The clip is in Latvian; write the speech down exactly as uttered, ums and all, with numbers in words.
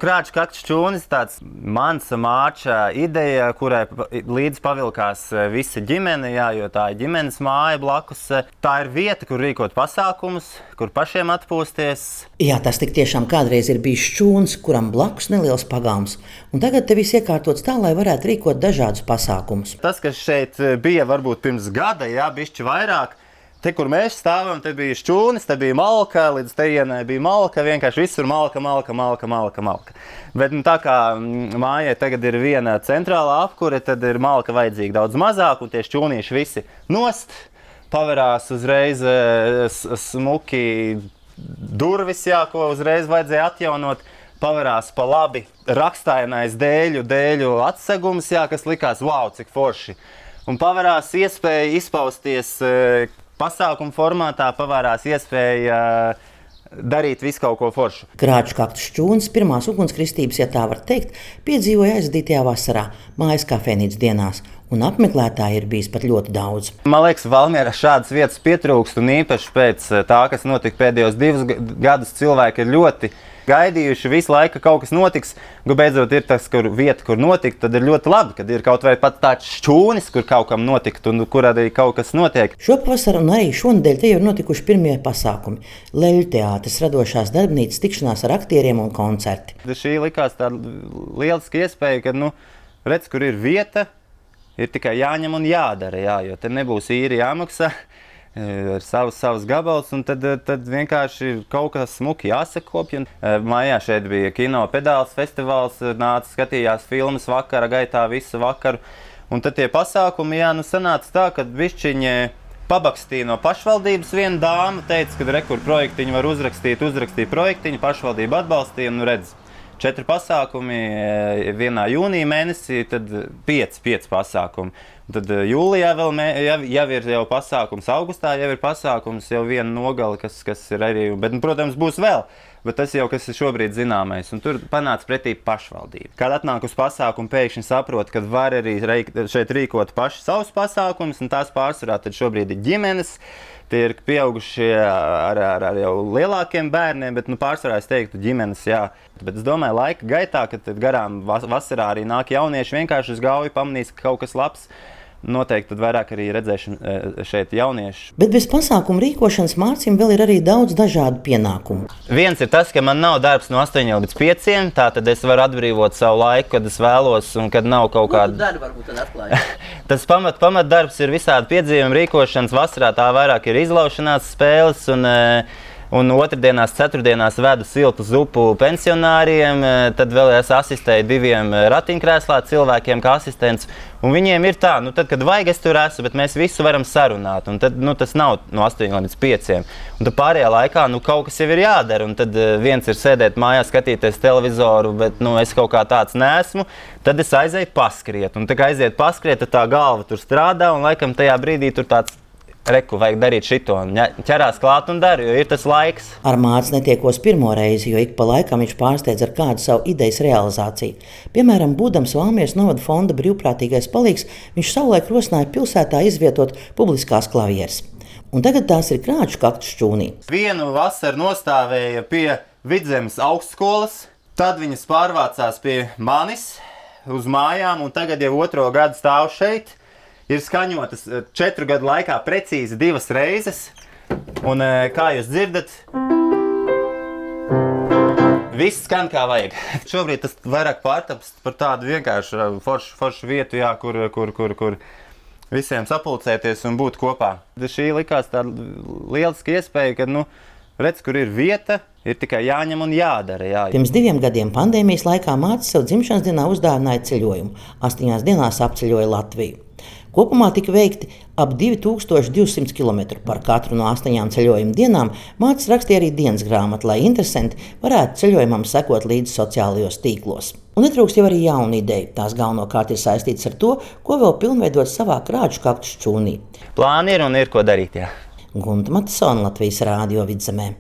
Krāču kaktus šķūnis - tāds mans māča ideja, kurai līdz pavilkās visa ģimene, jā, jo tā ir ģimenes māja blakus. Tā ir vieta, kur rīkot pasākumus, kur pašiem atpūsties. Jā, tas tik tiešām kādreiz ir bijis šķūnis, kuram blakus neliels pagalms, un tagad te viss iekārtots tā, lai varētu rīkot dažādus pasākumus. Tas, kas šeit bija varbūt pirms gada, jā, bišķi vairāk. Te, kur mēs stāvam, te bija šķūnis, te bija malka, līdz tejienai bija malka, vienkārši visur malka, malka, malka, malka, malka. Bet nu, tā kā mājai tagad ir viena centrālā apkure, tad ir malka vajadzīga daudz mazāk, un tie šķūnīši visi nost, paverās uzreiz smuki durvis, jā, ko uzreiz vajadzēja atjaunot, paverās pa labi rakstainais dēļu, dēļu atsegums, jā, kas likās, wow, cik forši. Un paverās iespēja izpausties pasākuma formātā, pavērās iespēja darīt visu kaut ko foršu. Krāču kaktus šķūnis pirmās ugunskristības, ja tā var teikt, piedzīvoja aizdītajā vasarā, mājas kafejnīcas dienās, un apmeklētāji ir bijis pat ļoti daudz. Man liekas, Valmierā šādas vietas pietrūkst, un īpaši pēc tā, kas notika pēdējos divus gadus, cilvēki ir ļoti gaidījuši visu laiku, ka kaut kas notiks. Beidzot ir tas, kur vieta, kur notikt, tad ir ļoti labi, kad ir kaut vai pat tāds šķūnis, kur kaut kam notikt un kur arī kaut kas notiek. Šopavasar un arī šonedēļ te jau ir notikuši pirmie pasākumi. Leļu teātris, radošās darbnīcas, tikšanās ar aktieriem un koncerti. Šī likās tāda lieliska iespēja, ka, nu, redz, kur ir vieta, ir tikai jāņem un jādara, jā, jo te nebūs īri jāmaksā. Ar savus, savus gabals, un tad, tad vienkārši kaut kas smuki jāsakopja. Mājā šeit bija kino pedāls festivāls, nāca skatījās filmas vakara gaitā visu vakaru. Un tad tie pasākumi, jā, nu sanāca tā, ka bišķiņi pabakstīja no pašvaldības viena dāma, teica, ka rekur projektiņu var uzrakstīt, uzrakstīja projektiņu, pašvaldība atbalstīja, nu redz. Četri pasākumi vienā jūnija mēnesī, tad pieci, pieci pasākumi. Tad jūlijā vēl mē, jau, jau ir jau pasākums, augustā jau ir pasākums, jau viena nogali, kas, kas ir arī, bet, nu, protams, būs vēl. Bet tas jau, kas ir šobrīd zināmais, un tur panāca pretī pašvaldība. Kad atnāk uz pasākumu, pēkšņi saprot, ka var arī šeit rīkot paši savus pasākumus, un tās pārsvarā tad šobrīd ir ģimenes. Tie ir pieaugušie ar, ar, ar jau lielākiem bērniem, bet nu, pārsvarā es teiktu ģimenes, jā. Bet es domāju, laika gaitā, kad garām vasarā arī nāk jaunieši, vienkārši uz gauju pamanīs, ka kaut kas labs. Noteikti tad vairāk arī redzēsim šeit jauniešu. Bet bez pasākumu rīkošanas Mārcim vēl ir arī daudz dažādu pienākumu. Viens ir tas, ka man nav darbs no astoņiem līdz pieciem, tā tad es varu atbrīvot savu laiku, kad es vēlos un kad nav kaut kāda... Ko tu dari varbūt tad atklāji? Tas pamat, pamat darbs ir visādi piedzīvumi rīkošanas. Vasarā tā vairāk ir izlaušanās spēles un... Un otrdienās, ceturtdienās vedu siltu zupu pensionāriem, tad vēl es asistēju diviem ratiņkrēslā cilvēkiem kā asistents. Un viņiem ir tā, nu tad, kad vajag, es tur esmu, bet mēs visu varam sarunāt. Un tad, nu, tas nav no astoņiem līdz pieciem. Un tad pārējā laikā, nu, kaut kas jau ir jādara. Un tad viens ir sēdēt mājās, skatīties televizoru, bet, nu, es kaut kā tāds neesmu. Tad es aizēju paskriet. Un tā kā aiziet paskriet, tad tā galva tur strādā, un laikam tajā brīdī tur tāds reku, vajag darīt šito, un ķerās klāt un dara, jo ir tas laiks. Ar Māci netiekos pirmo reizi, jo ik pa laikam viņš pārsteidz ar kādu savu idejas realizāciju. Piemēram, būdams Valmieras novada fonda brīvprātīgais palīgs, viņš savulaik rosināja pilsētā izvietot publiskās klavieres. Un tagad tās ir Krāču kaktus šķūnī. Vienu vasaru nostāvēja pie Vidzemes augstskolas, tad viņas pārvācās pie manis uz mājām, un tagad jau otro gadu stāv šeit. Ir skaņotas četru gadu laikā precīzi divas reizes, un kā jūs dzirdat, viss skan kā vajag. Šobrīd tas vairāk pārtaps par tādu vienkāršu foršu, foršu vietu, jā, kur, kur, kur, kur visiem sapulcēties un būt kopā. Šī likās tāda lieliska iespēja, ka, nu, redz, kur ir vieta, ir tikai jāņem un jādara. Jā. Pirms diviem gadiem pandēmijas laikā Mācis sev dzimšanas dienā uzdāvināja ceļojumu. Astoņās dienās apceļoja Latviju. Kopumā tika veikti ap divi tūkstoši divsimt kilometru. Par katru no astoņām ceļojuma dienām Mācis rakstīja arī dienas grāmatu, lai interesanti varētu ceļojumam sekot līdzi sociālajos tīklos. Un netrūkst jau arī jauna ideja. Tās galvenokārt ir saistītas ar to, ko vēl pilnveidot savā Krāču kaktus šķūnī. Plāni ir un ir ko darīt, jā. Gunta Matisone, Latvijas Rādio Vidzemē.